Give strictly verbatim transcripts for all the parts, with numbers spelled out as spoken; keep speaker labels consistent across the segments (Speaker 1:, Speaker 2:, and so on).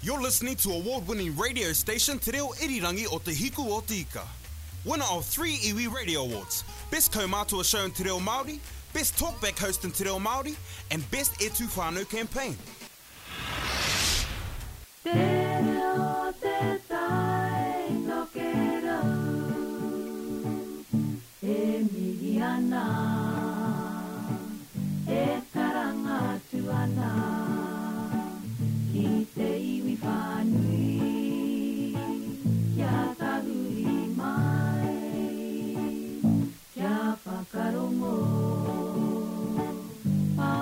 Speaker 1: You're listening to award-winning radio station Te Reo Irirangi o Te Hiku o Te Ika. Winner of three Iwi Radio Awards, Best Kaumātua Show in Te Reo Māori, Best Talkback Host in Te Reo Māori, and Best E Tū Whānau Campaign.
Speaker 2: Te reo te tai tokerau e mihi ana, e karanga atu ana ki te iwi whānui, kia tahuri mai, kia whakarongo, pā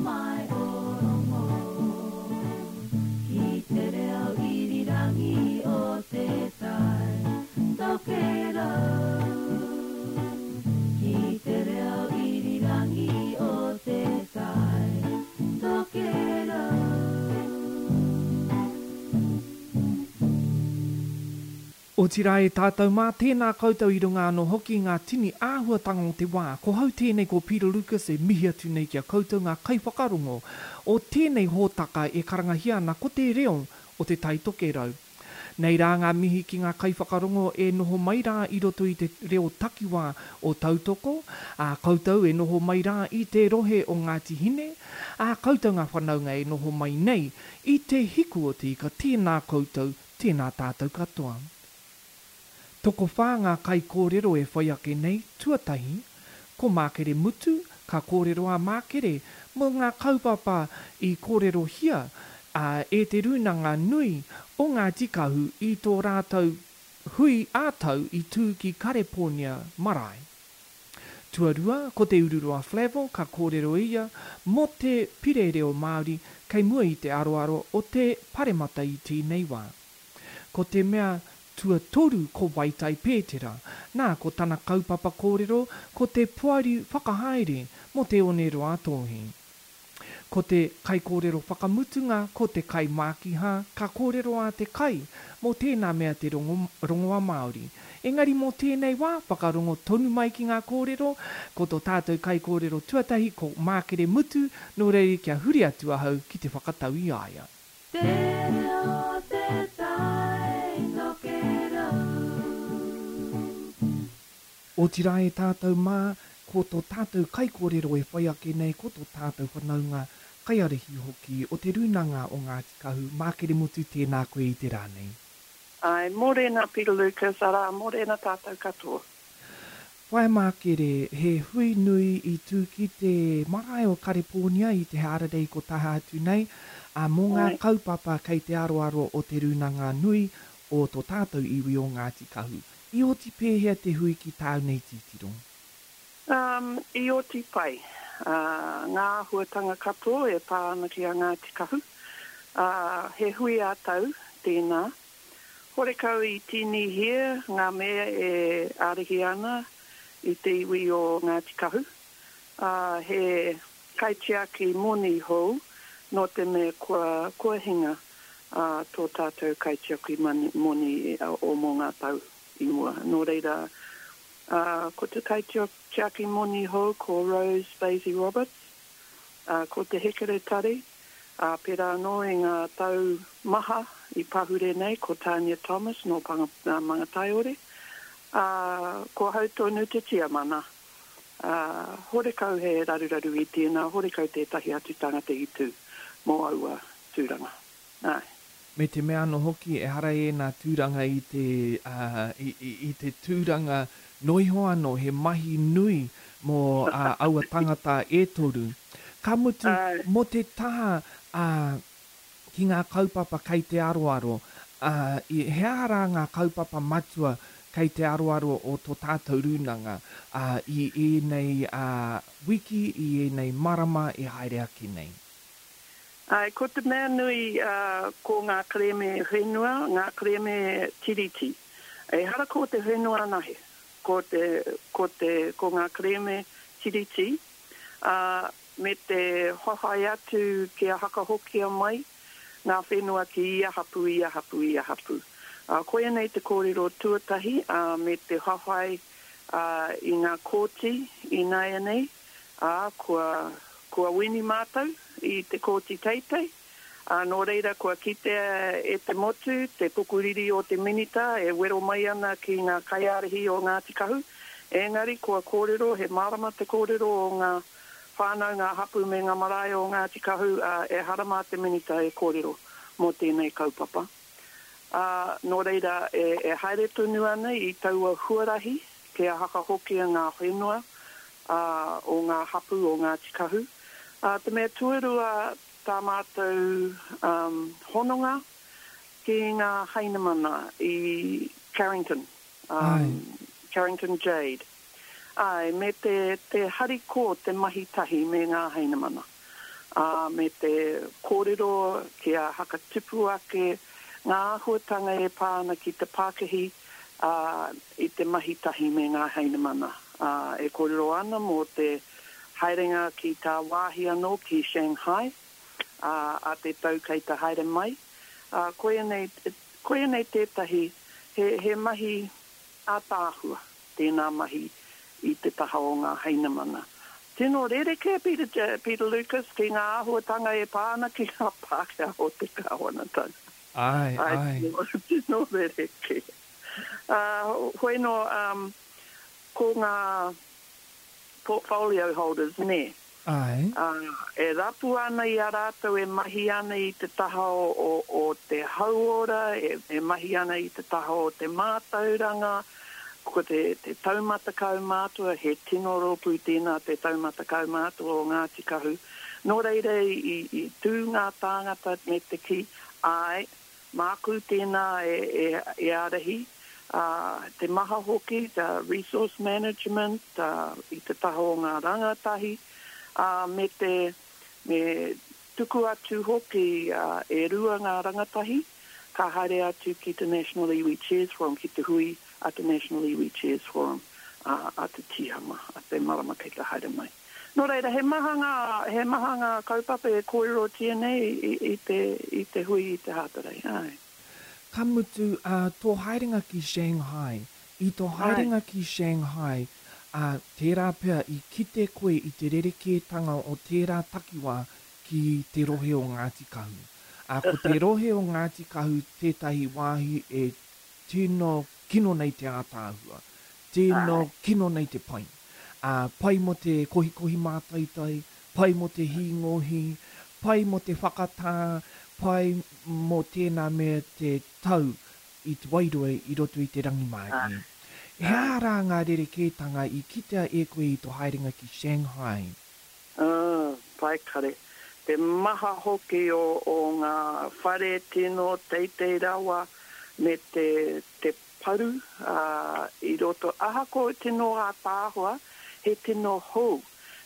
Speaker 2: mai o rongo, ki te reo irirangi o te tai tokerau, ki te reo irirangi o te tai tokerau.
Speaker 3: Otirā e tātou mā, tēnā koutou i runga anō hoki ngā tini āhuatanga o te wā. Ko hau tēnei ko Peter Lucas e mihi atu nei ki a koutou ngā kaiwhakarongo o tēnei hōtaka e karangahia ana ko te reo o te Tai Tokerau. Nei rā ngā mihi ki ngā kaiwhakarongo e noho mai rā i roto i te reo takiwā o Tautoko, ā koutou e noho mai rā i te rohe o Ngāti Hine, ā koutou ngā whanaunga e noho mai nei i te hiku o te ika, tēnā koutou, tēnā tātou katoa. Tokowhā ngā kaikōrero e whai ake nei, tuatahi, ko Mākere Mutu, ka kōrero a Mākere mō ngā kaupapa i kōrerohia ā, e te rūnanga nui o Ngāti Kahu i tō rātou hui ā-tau i tū ki Karepōnia Marae. Tuarua, ko Te Ururoa Flavell, ka kōrero ia mō te pire reo Māori kei mua i te aroaro o te paremata i tēnei wā. Ko te mea tuatoru ko Waitai Pētera, nā ko tana kaupapa kōrero ko te poari whakahaere mō Te Oneroa Tōhi. Ko te kaikōrero whakamutunga ko te kai Mākihā, ka kōrero a te kai mō tēnā mea te rongo, rongoa Māori. Engari mō tēnei wā, whakarongo tonu mai ki ngā kōrero, ko tō tātou kaikōrero tuatahi ko Mākere Mutu, nō reira kia huri atu ahau ki te whakatau i a ia.
Speaker 2: Te reo te tai tokerau.
Speaker 3: Otirā e tātou mā, ko tō tātou kaikōrero e whai ake nei, ko tō tātou whanaunga kaiārahi hoki o te rūnanga o Ngāti Kahu, Mākere Mutu, tēnā koe i te rā nei.
Speaker 4: Ai, mōrena Peter Lucas, arā, mōrena tātou katoa.
Speaker 3: Whaea Mākere, he hui nui i tū ki te marae o Karepōnia i te Hārarei ko taha atu nei, ā, mō ngā
Speaker 4: Ai.
Speaker 3: kaupapa kei te aroaro o te rūnanga nui o tō tātou iwi o Ngāti Kahu. I oti pēhea te hui ki tāu nei titiro?
Speaker 4: Um, i oti pai. Uh, ngā āhuatanga katoa e pā ana ki a Ngāti Kahu. Uh, he hui ā-tau tēnā. Horekau i tīnihia ngā mea e ārahi ana i te iwi o Ngāti Kahu. Uh, he kaitiaki moni hou nō te mea kua, kua hinga uh, tō tātou kaitiaki mani, moni uh, o mō ngā tau i mua. Nō reira, uh, ko te kaitiaki moni hou ko Rose Basie Roberts, uh, ko te hekeretari, uh, pērā anō i ngā tau maha i pahure nei, ko Tania Thomas nō Panga, uh, Mangataiore, uh, ko hau tonu te tiamana. Uh, horekau he raruraru i tēnā, horekau tētahi atu tangata i tū mō aua tūranga. Ai.
Speaker 3: Me te mea anō hoki, ehara ēnā tūranga i te, uh, i, i, i te tūranga noiho anō, he mahi nui mō uh, aua tangata e toru. Ka mutu,
Speaker 4: Ai.
Speaker 3: mō te taha uh, ki ngā kaupapa kei te aroaro, uh, i, he aha rā ngā kaupapa matua kei te aroaro o tō tātou rūnanga uh, i ēnei uh, wiki, i ēnei marama e haere ake nei?
Speaker 4: Ai, ko te mea nui uh, ko ngā kerēme whenua, ngā kerēme tiriti. Ehara ko te whenua anahe, ko, te, ko, te, ko ngā kerēme tiriti, uh, me te hohai atu kia hakahokia mai ngā whenua ki ia hapu, ia hapu, ia hapu. Uh, koia nei te kōrero tuatahi uh, me te hohai uh, i ngā kōti i nāianei, uh, kua, kua wini mātou i te kōti teitei, Ā, nō reira kua kitea e te motu te pukuriri o te Minita e wero mai ana ki ngā kaiārahi o Ngāti Kahu, engari kua kōrero, he mārama te kōrero o ngā whānau, ngā hapū me ngā marae o Ngāti Kahu, ā, ehara mā te Minita e kōrero mō tēnei kaupapa. Ā, nō reira e, e haere tonu ana i taua huarahi kia hakahokia ngā whenua, ā, o ngā hapū o Ngāti Kahu. Ā, te mea tuarua, tā mātou um, hononga ki ngā Hainamana i Carrington, um, Carrington Jade. Āe, me te, te hariko te mahi tahi me ngā Hainamana. Ā, me te kōrero kia hakatupu ake ngā āhuatanga e pā ana ki te pakihi, ā, i te mahi tahi me ngā Hainamana. Ā, e kōrero ana mō te haerenga ki tāwāhi anō ki Shanghai, ā, a te tau kei te haere mai. Ā, koia nei, koia nei tētahi, he, he mahi ātaahua tēnā mahi i te taha o ngā Hainamana. Tino rerekē, Peter, Peter Lucas, ki ngā āhuatanga e pā ana ki ngā Pākehā o te kāwanatanga.
Speaker 3: Āe,
Speaker 4: Āe,
Speaker 3: āe.
Speaker 4: tino, tino rerekē. Ā, hoi nō, um, ko ngā portfolio holders, nē.
Speaker 3: Āe.
Speaker 4: Ā, e rapu ana i a rātou e mahi ana i te taha o, o, o te hauora, e, e mahi ana i te taha o te mātauranga, ko te, te taumata kaumātua, he tino rōpū tēnā te taumata kaumātua o Ngāti Kahu. Nō reira i, i, i tū ngā tāngata me te kī, āe, māku tēnā e, e, e ārahi, ā, te maha hoki, te resource management, ā, i te taha o ngā rangatahi, ā, me te, me tuku atu hoki, ā, e rua ngā rangatahi, ka haere atu ki te National Iwi Chairs Forum, ki te hui a te National Iwi Chairs Forum, ā, a te Tīhama, a te marama kei te haere mai. Nō reira, he maha ngā, he maha ngā kaupapa e kōrerotia nei i, i te, i te hui i te Hātarei, āe.
Speaker 3: Ka mutu, ā, tō haerenga ki Shanghai. I tō
Speaker 4: Āe.
Speaker 3: haerenga ki Shanghai, ā, tērā pea i kite koe i te rerekētanga o tērā takiwā ki te rohe o Ngāti Kahu. Ā, ko te rohe o Ngāti Kahu tētahi wāhi e tino kino nei te ātaahua, tino
Speaker 4: Āe.
Speaker 3: kino nei te pai. Ā, pai mō te kohikohi mātaitai, pai mō te hīngohi, pai mō te whakatā, pai mō tēnā me te tau i te wairua i roto i te rangimārie. He
Speaker 4: Āe.
Speaker 3: aha rā ngā rerekētanga i kitea e koe i tō haerenga ki Shanghai?
Speaker 4: Ā, pai kare. Te maha hoki o, o ngā whare tino teitei rawa me te, te paru, ā, i roto, ahakoa tino ātaahua, he tino hou.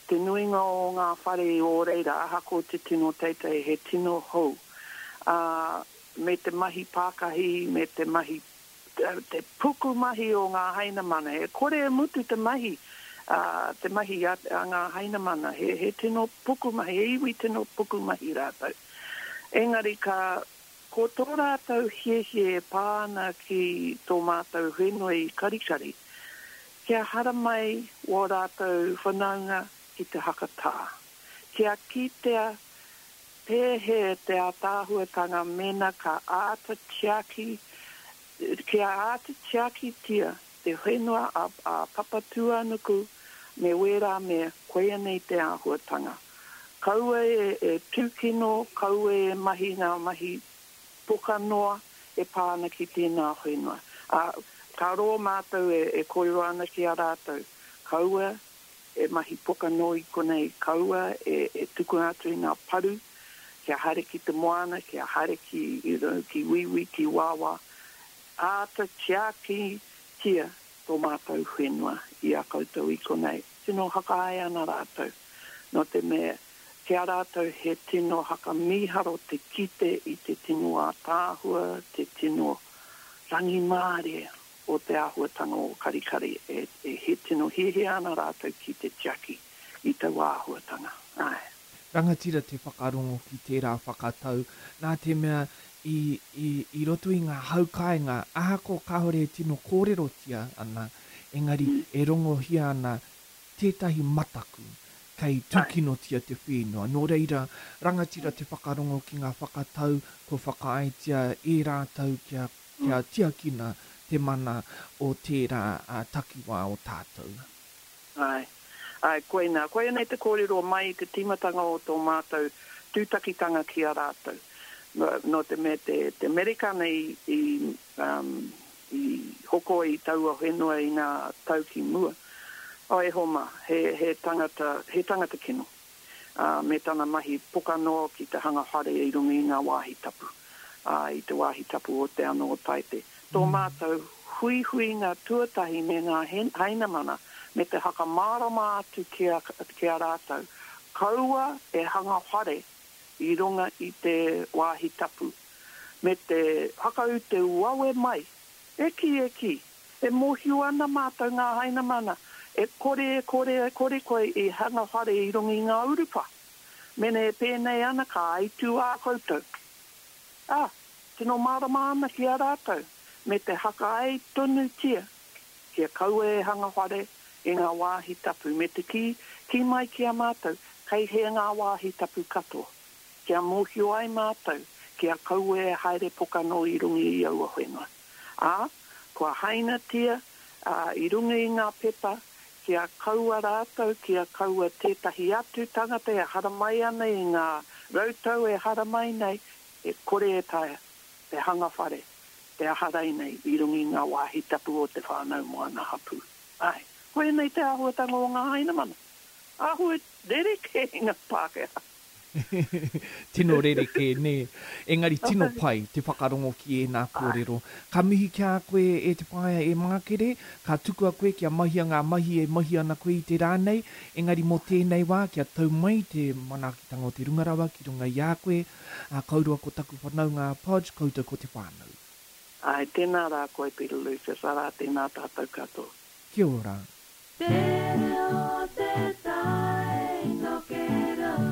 Speaker 4: Te nuinga o ngā whare i ō reira, ahakoa te tino teitei, he tino hou. Ā, me te mahi pākahi, me te mahi, te pukumahi o ngā Hainamana. E kore e mutu te mahi, ā, te mahi a, a ngā Hainamana. He, he tino pukumahi, he iwi tino pukumahi rātou. Engari ka, ko tō rātou hiahia e pā ana ki tō mātou whenua i Karikari, kia haramai wō rātou whanaunga ki te hakatā. Kia kitea pēhea te ātaahuatanga mēnā ka āta tiaki, kia āta tiakitia te whenua a, a Papatūānuku me wērā mea, koia nei te āhuatanga. Kaua e, e tūkino, kaua e mahi ngā mahi poka noa e pā ana ki tēnā whenua. Ā, ka roa mātou e, e kōrero ana ki a rātou, kaua e mahi poka noa i konei, kaua e, e tukuna atu i ngā paru, kia haere ki te moana, kia haere ki, you know, ki wīwī, ki wāwā. Āta tiakitia tō mātou whenua i a koutou i konei. Tino whakaae ana rātou, nō te mea, ki a rātou he tino whakamīharo te kite i te tino ātaahua, te tino rangimārie o te āhuatanga o Karikari. E, e he tino hiahia ana rātou ki te tiaki i taua āhuatanga. Āe.
Speaker 3: Rangatira te whakarongo ki tērā whakatau, nā te mea i, i, i roto i ngā haukainga, ahakoa kāore e tino kōrerotia ana, engari e rongohia ana tētahi mataku, Kei tūkinotia te whenua. Nō reira, rangatira te whakarongo ki ngā whakatau, kua whakaaetia e rātou kia, kia tiakina te mana o tērā uh, takiwā o tātou.
Speaker 4: Ai, ai, koinā. Koinei te kōrero mai i te tīmatanga o tō mātou tūtakitanga ki a rātou. Nō te mea te, te Amerikana i, i, um, i hoko i taua whenua i ngā tau ki mua. O e homa, he, he tangata, he tangata kino. Uh, me tana mahi poka noa ki te hanga whare i runga i ngā wāhi tapu. Uh, i te wāhi tapu o te ano o Taite. Tō mm. mātou huihuinga tuatahi me ngā hainamana, me te hakamārama atu ki a, ki a rātou. Kaua e hanga whare i runga i te wāhi tapu. Me te hakaute wawe mai, e ki e ki, e mōhio ana mātou ngā hainamana, e kore, e kore, e kore koe i hanga whare i runga i ngā urupa. Mene e pēnei ana ka aitu ā koutou. Ah, tino mārama ana ki a rātou, me te hakae tonu tia, kia kaua e hanga whare i ngā wāhi tapu, me te ki, ki mai ki a mātou, kei he ngā wāhi tapu katoa. Kia mōhio ai mātou, kia kaua e haere poka no i runga i aua whenua. Ā, kua hainatia uh, i runga i ngā pepa, kia kaua rātou, kia kaua tētahi atu tangata e haramai ana i ngā rautau e haramai nei, e kore e taea, te hanga whare, te aharai nei i runga i ngā wāhi tapu o te whānau moana hapu. Ai, koinei te āhuatanga o ngā hainamana. Āhua rerekē i ngā Pākehā.
Speaker 3: Tino rerekē, nē. Engari tino pai te whakarongo ki ēnā kōrero. Ka mihi ki a koe e te whaea e Mākere, ka tukua koe kia mahia ngā mahi e mahi ana koe i te rā nei, engari mō tēnei wā kia tau mai te manaakitanga o te runga rawa ki runga i a koe, a kaurua ko taku whanaunga a Podge, koutou ko te whānau.
Speaker 4: Ai, tēnā rā koe Peter Lucas, arā tēnā tātou katoa.
Speaker 3: Kia ora.
Speaker 2: Te reo te tai tokerau.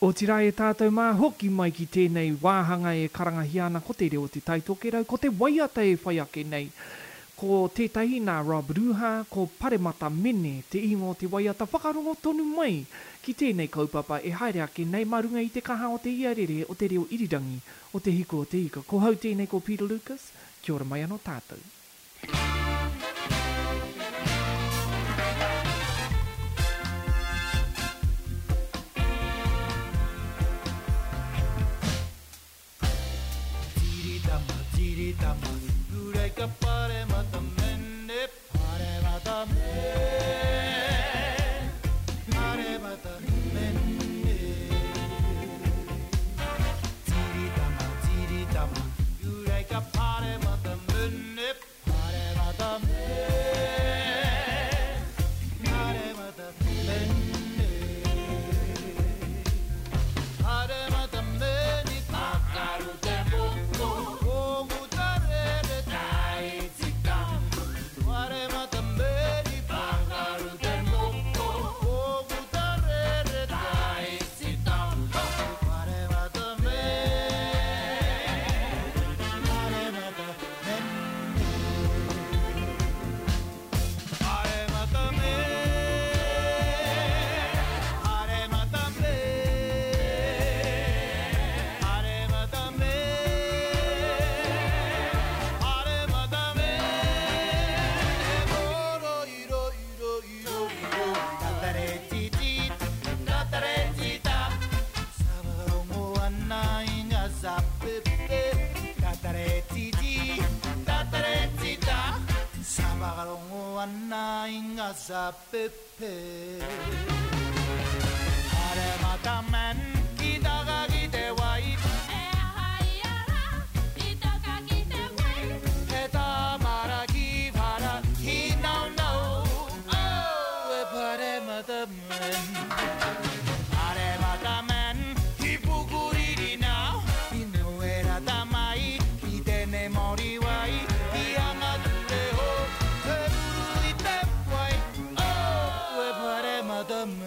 Speaker 3: Otirā e tātou mā hoki mai ki tēnei wāhanga e karangahia ana ko te reo te tai tokerau, ko te waiata e whai ake nei. Ko tētahi nā Rob Ruha, ko Paremata Mene, te ingoa o te waiata whakarongo tonu mai ki tēnei kaupapa e haere ake nei mā runga i te kaha o te iarere o te reo irirangi o te hiko o te ika. Ko hau tēnei ko Peter Lucas, kia ora mai anō tātou.
Speaker 5: Tiritama, ureka paremata mene, paremata mene, paremata mene. Tiritama, tiritama, ureka paremata mene, paremata mene, paremata mene. Paremata mene, pakaru te moko. Pepe. Paremata men ki taka ki te wai.
Speaker 6: E hai ara i taka ki te wai.
Speaker 5: He tamara ki whara hi nau nau. Oh, e paremata men. Paremata men ki pukuriri nau. I noera tamai ki tene mori wai. Ki anga te ho, te ruru i te wai. Oh, e paremata men.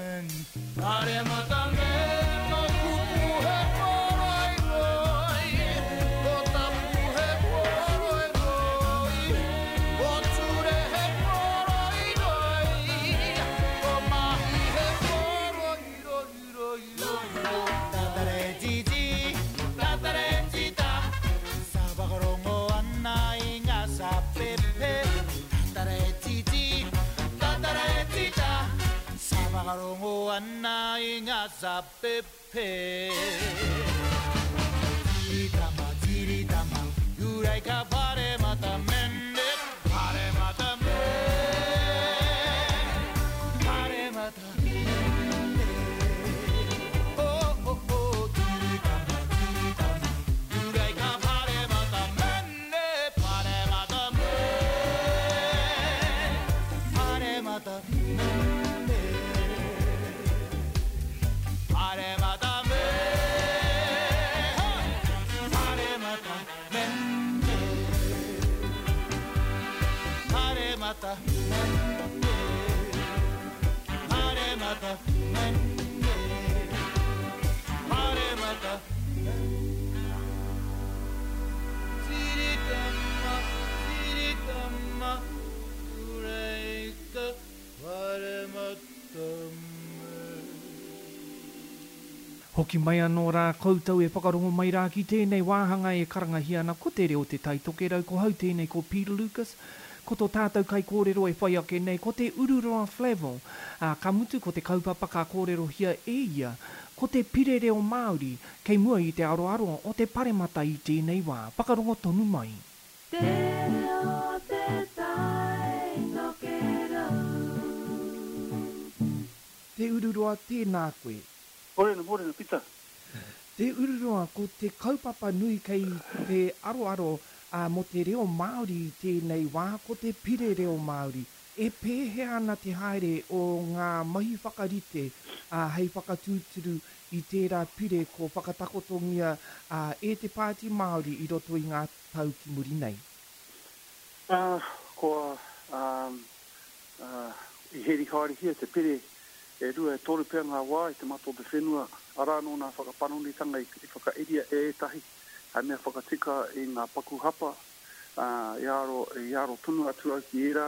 Speaker 5: Zapepe. Tiritama, tiritama, uraika pare mata mene, pare mata me, pare mata mene. Oh, oh, oh, tiritama, tiritama, uraika pare mata mene, pare mata me, pare mata mene. Pare mata me, pare mata mene, pare mata mene, pare mata mene, pare mata Tiritama, tiritama, uraika, pare mata me.
Speaker 3: Hoki mai anō rā koutou e whakarongo mai rā ki tēnei wāhanga e karangahia ana ko te reo te Tai Tokerau, ko hau tēnei ko Peter Lucas, ko tō tātou kaikōrero e whai ake nei ko te Ururoa Flavell, ā, ka mutu ko te kaupapa ka kōrerohia e ia, ko te pire reo Māori kei mua i te aroaro o te paremata i tēnei wā. Whakarongo tonu mai.
Speaker 2: Te reo te Tai Tokerau.
Speaker 3: Te Ururoa, tēnā koe.
Speaker 7: Morena, morena, Pita.
Speaker 3: Te Ururoa, ko te kaupapa nui kei te aroaro uh, mō te reo Māori i tēnei wā, ko te pire reo Māori. E pēhea ana te haere o ngā mahi whakarite uh, hei whakatūturu i tērā pire ko whakatakotongia uh, e te Pāti Māori i roto i ngā tau ki muri nei?
Speaker 7: Uh, kua um, uh, i heri haerehia te pire e rua e toru pea ngā wā i te mata o te whenua, arā nō nā whakapanonitanga i, i whakairia e ētahi, hei mea whakatika i ngā paku hapa, uh, i aro, i aro tonu atu au ki ērā,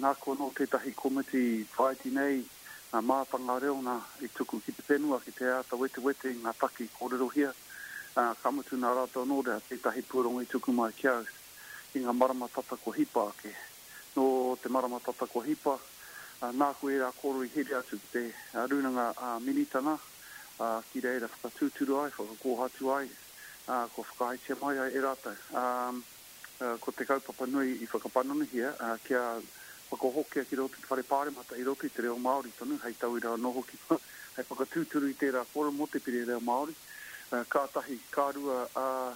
Speaker 7: nāku anō tētahi komiti whāiti nei, ngā mātanga reo nā i tuku ki te whenua, ki te āta wetewete i ngā taki kōrerohia, uh, ka mutu nā rātou anō rea tētahi pūrongo i tuku mai ki au i ngā marama tata ko hipa ake. Nō te marama tata ko hipa, uh, nāku ērā kōrero i here atu ki te uh, rūnanga uh, minitana, uh, ki reira whakatūturu ai, whakakōhatu ai, uh, ko whakaaetia mai ai e rātou. Um, uh, ko te kaupapa nui i whakapanonihia, uh, kia whakahokia ki roto i te whare pāremata i roto i te reo Māori tonu, hei tauira anō hoki, hei whakatūturu i tērā kōrero mō te pire reo Māori. Uh, ka tahi, ka rua, uh,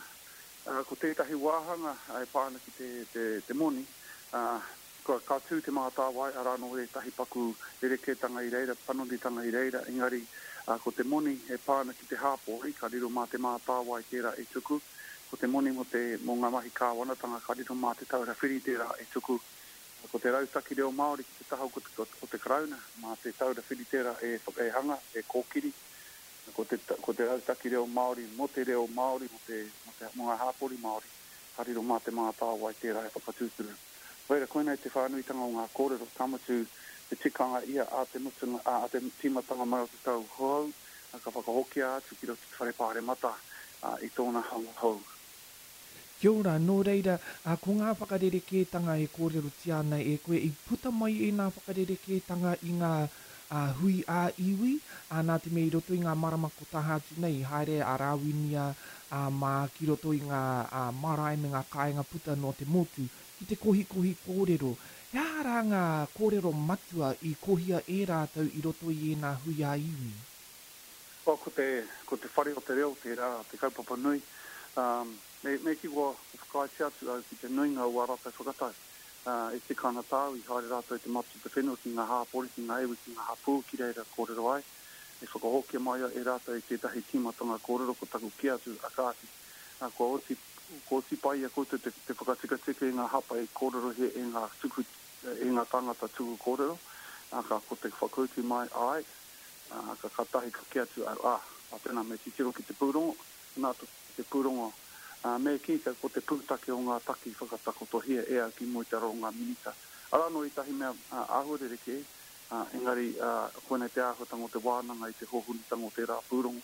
Speaker 7: uh, ko tētahi wāhanga e pā ana ki te, te, te moni, uh, ka, ka tū te mātāwai, arā nō ētahi paku rerekētanga i reira, panonitanga i reira, engari uh, ko te moni e pā ana ki te hāpori, ka riro mā te mātāwai tērā e tuku, ko te moni mō, te, mō ngā mahi kāwanatanga, ka riro mā te taura whiri tērā e tuku, ko te rautaki reo Māori ki te taha o te, o te Karauna, mā te taura whiri tērā e, e hanga, e kōkiri, ko te, ko te rautaki reo Māori mō te reo Māori, mō, te, mō, te, mō ngā hāpori Māori, ka riro mā te mātāwai tērā e whakatūturu. Reira, koinei te whānuitanga o ngā kōrero, ka mutu te tikanga ia a te mutunga, a, a te tīmatanga mai o te tau hou, ka whakahokia atu ki roto te whare pāremata uh, i tōna hanga hou.
Speaker 3: Kia ora, nō reira, uh, ko ngā whakarerekētanga e kōrerotia ana e koe, i puta mai e ngā whakarerekētanga i ngā uh, hui ā-iwi, uh, nā te mea i roto i ngā marama ko taha atu nei, haere a Rāwinia uh, mā ki roto i ngā uh, marae me ngā kāinga puta no te motu, ki te kohikohi kōrero. He aha rā ngā kōrero matua i kohia e rātou i roto i ēnā hui ā-iwi?
Speaker 7: Well, ko te, ko te whare o te reo, tērā, te kaupapa nui, um, me, me ki kua whakaaetia atu au ki te nuinga o ā rātou whakatau. Uh, e tika ana tāu, i haere rātou i te mata o te whenua ki ngā hāpori, ki ngā iwi, ki ngā hapū, ki reira kōrero ai. E whakahokia mai e rātou i tētahi tīmatanga kōrero ko taku ki atu a kāti. Uh, kua oti, kua oti pai a koutou te, te whakatikatika i ngā hapa e kōrerohia e ngā, tuku, e ngā tāngata tuku kōrero. Uh, ka ko te whakautu mai ai, uh, ka katahi ka ki atu au, ah, a tēnā me titiro ki te pūrongo, nā te pūrongo. Uh, me ki ka ko te pūtake o ngā taki whakatakotohia e au ki mua i te aro o ngā minita. Arā nō ētahi mea uh, āhuarerekē, uh, engari uh, koinei te āhuatanga o te wānanga i te hōhunitanga o tērā pūrongo.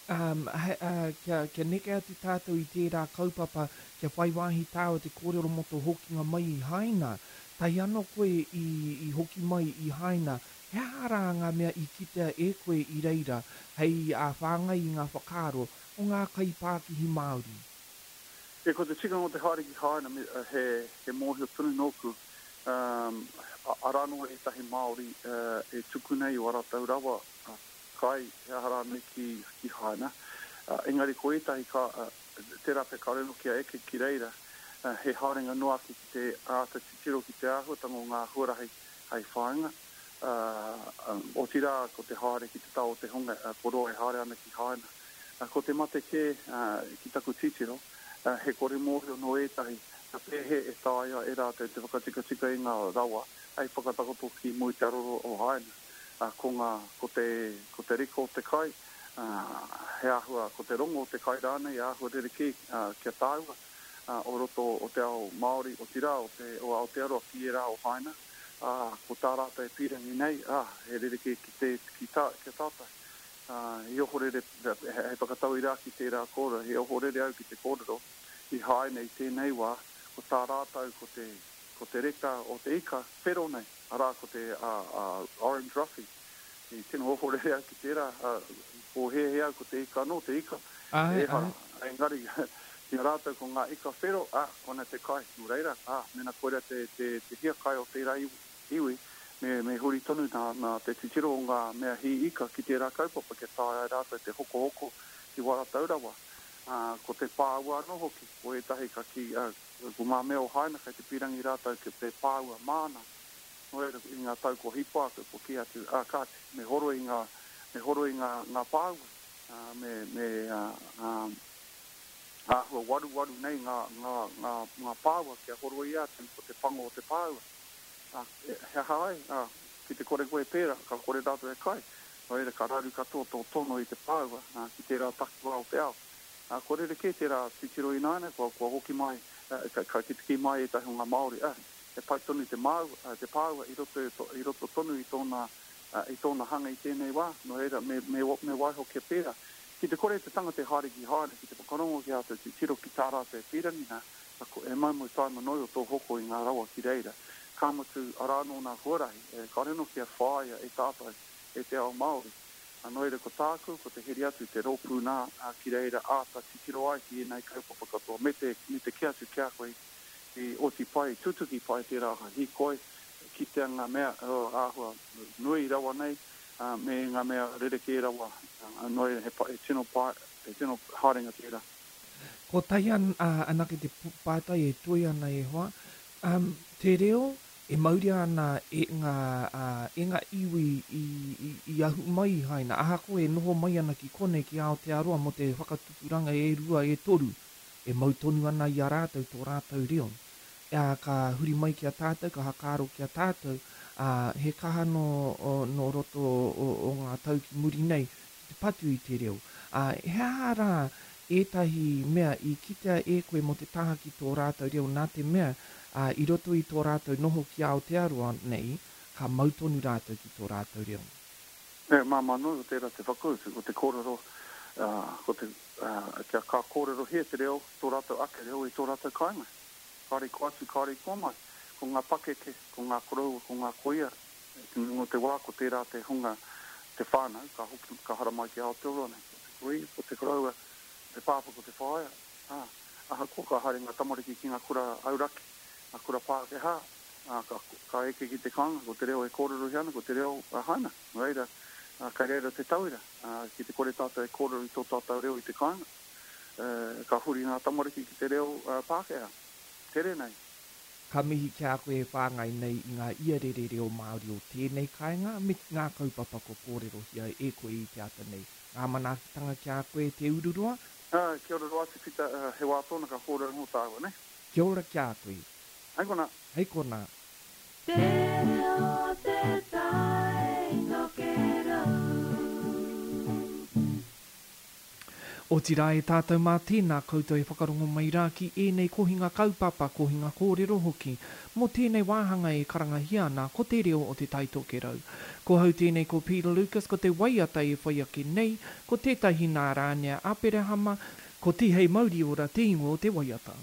Speaker 3: Um, he, uh, kia, kia neke atu tātou i tērā kaupapa, kia whai wāhi tāua te kōrero mō tō hokinga mai i Haina. Tai anō koe i, i hoki mai i Haina, He aha rā ngā mea i kitea e koe i reira hei whāngai i ngā whakaaro o ngā kaipākihi Māori?
Speaker 7: E, ko te tikanga o te haere ki Haina, he, he mōhio tonu nōku, um, arā noa ētahi Māori uh, e tuku nei o ā rātou rawa uh, kai, he aha rānei ki, ki Haina. Uh, engari ko ētahi ka, uh, tērā pea kāore anō kia eke ki reira, uh, he haerenga noa ake ki te āta titiro ki te āhuatanga o ngā huarahi hei whāinga. Uh, um, otirā ko te haere ki te taha o te hunga, uh, ko roa e haere ana ki Haina. Uh, ko te mate kē uh, ki taku titiro, uh, he kore mōhio nō ētahi, ka pēhea e taea e rātou te whakatikatika i ngā rawa hei whakatakoto ki mua i te aroro o Haina. Uh, ko, ngā, ko, te, ko te reka o te kai, uh, he āhua, ko te rongo o te kai rānei, āhua rerekē uh, kia tāua uh, o roto o te ao Māori, otirā o, te, o Aotearoa ki ērā o Haina. Uh, ko tā rātou e pīrangi nei, ah, he rerekē ki, te, ki, tā, ki a tātou. Uh, i ohorere, hei whakatauira ki tērā kōrero, he ohorere au ki te kōrero i Haina i tēnei wā, ko tā rātou ko te, ko te reka o te ika whero nei, arā ko te uh, uh, orange roughy. I tino ohorere au ki tērā, uh, pōhēhē au ko te ika anō, te ika.
Speaker 3: Ai,
Speaker 7: Ehara,
Speaker 3: ai.
Speaker 7: engari, ki a rātou ko ngā ika whero, ah, kona te kai, nō reira, ah, mena koira te, te, te hiakai o tērā iwi, iwi me, me huri tonu nā, nā te titiro o ngā mea hī ika ki tērā kaupapa kia taea ai rātou te hokohoko i wā rātou rawa. Uh, ko te pāua anō hoki, ko ētahi ka ki, uh, ko ngā mea o Haina kei te pīrangi rātou ki te pāua māna. Nō reira, i ngā tau ko hipa ake, ko kī atu, ah, kāti, me horo i ngā, me horo i ngā, ngā pāua, uh, me, me uh, um, āhua waruwaru nei ngā, ngā, ngā, ngā pāua kia horoi atu ko te pango o te pāua. Ah, he aha ai, ah, ki te kore koe pērā, ka kore rātou e kai. Nō reira, ka raru katoa tō tono i te pāua ah, ki tērā takiwā o te ao. Ah, ko rerekē tērā titiro ināiane, kua, kua hoki mai, uh, ka, ka ki te kī mai ētahi o ngā Māori, ah, he pai tonu te, māu, uh, te pāua i roto, i roto tonu i tōna, uh, i tōna hanga i tēnei wā. Nō reira, me, me, me waiho kia pērā. Ki te kore te tangata e haere ki Haina, ki te whakarongo ki ātou titiro ki tā rātou e pīrangi nā, e moumou taima noi o tō hoko i ngā rawa ki reira. Ka mutu, arā nō nā huarahi, e kāore anō kia whāia e tātou, e te ao Māori. Nō reira ko tāku, ko te heri atu, te rōpū nā, ki reira āta titiro ai ki ēnei kaupapa katoa. Me te, me te kī atu ki a koe i oti pai, tutuki pai tērā hīkoi, kitea ngā mea oh, āhua nui rawa nei, uh, me ngā mea rerekē rawa. Uh, nō reira he, pa, he tino, pai, he tino haerenga tērā.
Speaker 3: Ko tahi an, uh, anake te pātai e toe ana e hoa, um, te reo e mauria ana e ngā, uh, e ngā iwi i, i, i ahu mai i Haina, ahakoa e noho mai ana ki konei ki Aotearoa mō te whakatupuranga e rua e toru, e mau tonu ana i a rātou tō rātou reo. Uh, ka huri mai ki a tātou, ka hakaaro ki a tātou, uh, he kaha no, o, no roto o, o ngā tau ki muri nei ki te patu i te reo. Uh, he aha rā ētahi mea i kitea e koe mō te taha ki tō rātou reo nā te mea uh, i roto i tō rātou noho ki Aotearoa nei, ka mau tonu rātou ki tō rātou reo.
Speaker 7: E, māmā nui o tērā te whakautu, ko te kōrero, uh, ko te, uh, kia ka kōrerohia te reo, tō rātou ake reo i tō rātou kāinga. Kāre ko atu, kāre ko mai. Ko ngā pakeke, ko ngā koroua, ko ngā koia. Te nunga o te wā, ko tērā te hunga, te whānau, ka hoki, ka haramai ki Aotearoa nei. Ko te kuia, ko te koroua, te pāpā, ko te whaea. Ah, ahakoa ka haere ngā tamariki ki ngā kura auraki, ngā kura Pākehā, ah, ka, ka eke ki te kāinga, ko te reo e kōrerohia ana, ko te reo uh, Haina. Nō reira, uh, kei reira te tauira, uh, ki te kore tātou e kōrero i tō tātou reo i te kāinga, uh, ka huri ngā tamariki ki te reo uh, Pākehā. Tere nei.
Speaker 3: Ka mihi ki a koe e whāngai nei i ngā iarere reo Māori o tēnei kāinga me ngā kaupapa ko kōrerohia e koe i te ata nei. Ngā manaakitanga ki a koe te ururoa.
Speaker 7: Uh, kia ora roa atu, Pita, uh, he wā tōna ka kōrero mō tāua, ne?
Speaker 3: Kia ora ki a koe.
Speaker 7: Hei kona.
Speaker 3: Hei kona.
Speaker 2: Te reo te tai tokerau.
Speaker 3: Otirā e tātou mā tēnā koutou e whakarongo mai rā ki ēnei kohinga kaupapa, kohinga kōrero hoki, mō tēnei wāhanga e karangahia ana ko te reo o te Tai Tokerau. Ko hau tēnei ko Peter Lucas, ko te waiata e whai ake nei, ko tētahi nā Rānea Aperahama, ko Tihei Mauriora te ingoa o te waiata.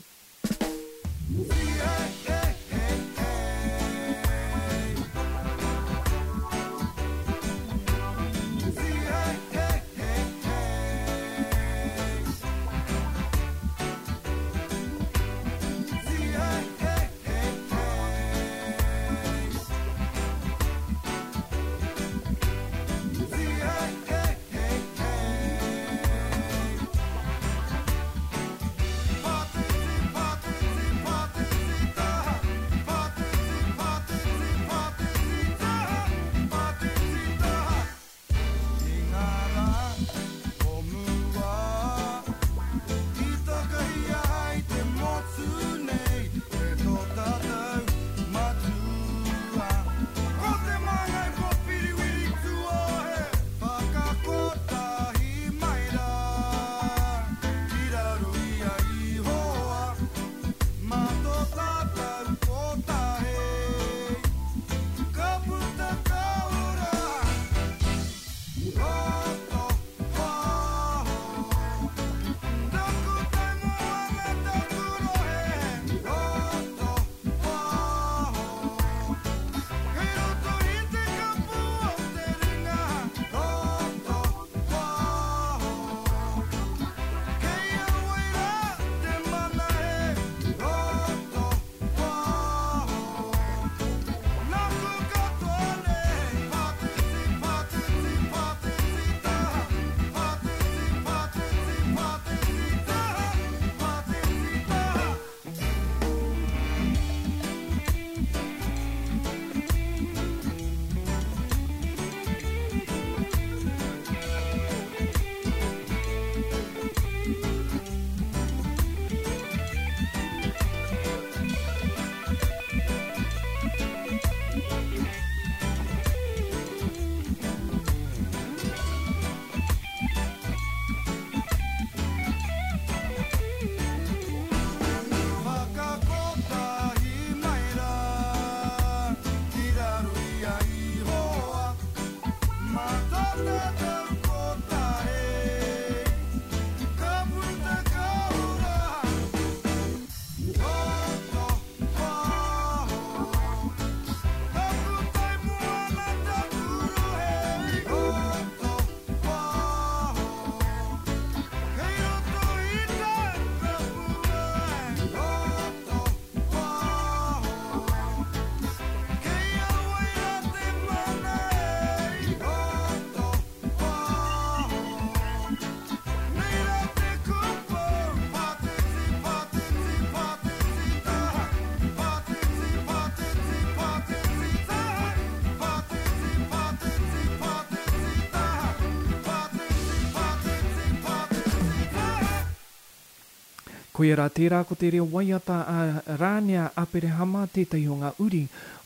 Speaker 3: Koia rā tērā ko te reo waiata a Rānea Aperehama tētahi o ngā uri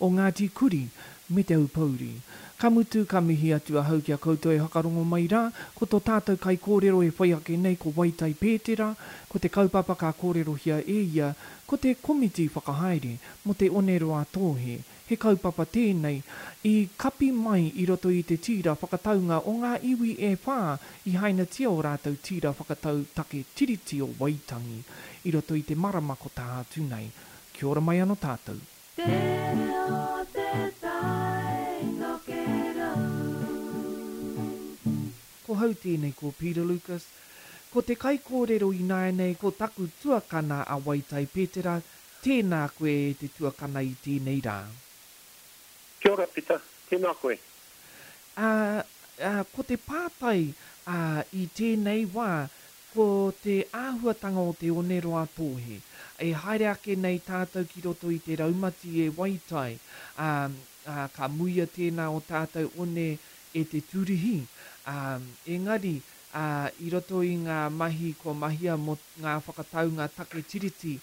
Speaker 3: o Ngāti Kuri me Te Aupōuri. Ka mutu, ka mihi atu ahau ki a koutou e whakarongo mai rā, ko tō tātou kaikōrero e whai ake nei ko Waitai Pētera, ko te kaupapa ka kōrerohia e ia ko te komiti whakahaere mō Te Oneroa-a-Tōhe, he kaupapa tēnei i kapi mai i roto i te tīra whakataunga o ngā iwi e whā i hainatia ō rātou tīra whakatau take Tiriti o Waitangi i roto i te marama ko tā atu nei. Kia ora mai anō tātou.
Speaker 2: Te reo te tai nokerau.
Speaker 3: Ko hau tēnei ko Peter Lucas. Ko te kaikōrero ināianei ko taku tuakana a Waitai Petera, tēnā koe e te tuakana i tēnei rā.
Speaker 8: Kia ora Pita, tēnā koe.
Speaker 3: Ā, ā, ko te pātai, ā, i tēnei wā, ko te āhuatanga o Te Oneroa-a-Tōhe. E haere ake nei tātou ki roto i te raumati e Waitai, ā, ā, ka muia tēnā o tātou one e te turihi, ā, engari, ā, i roto i ngā mahi kua mahia mō ngā whakataunga take Tiriti,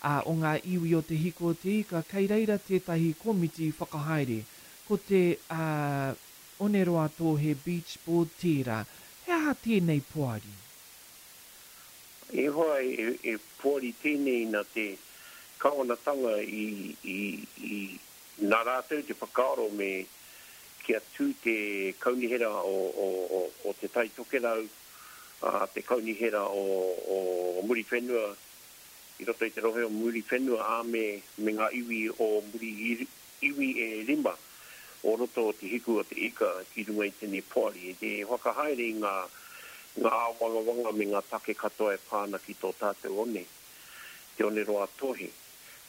Speaker 3: ā, o ngā iwi o Te Hiko o Te Ika, kei reira tētahi komiti whakahaere. Ko te, ā, Oneroa-a-Tōhe Beach Board tērā. He aha tēnei poari?
Speaker 8: E hoa, e poari tēnei nā te kawanatanga i, i, i, nā rātou te whakaaro me kia tū te kaunihera o, o, o, o Te Tai Tokerau, ā, te kaunihera o, o Muriwhenua, i roto i te rohe o Muriwhenua, ā, me, me ngā iwi o Muri, iwi e rima o roto o Te Hiku o Te Ika ki runga i tēnei poari, e te whakahaere i ngā, ngā āwangawanga me ngā take katoa e pā ana ki tō tātou one, Te Oneroa-a-Tōhe.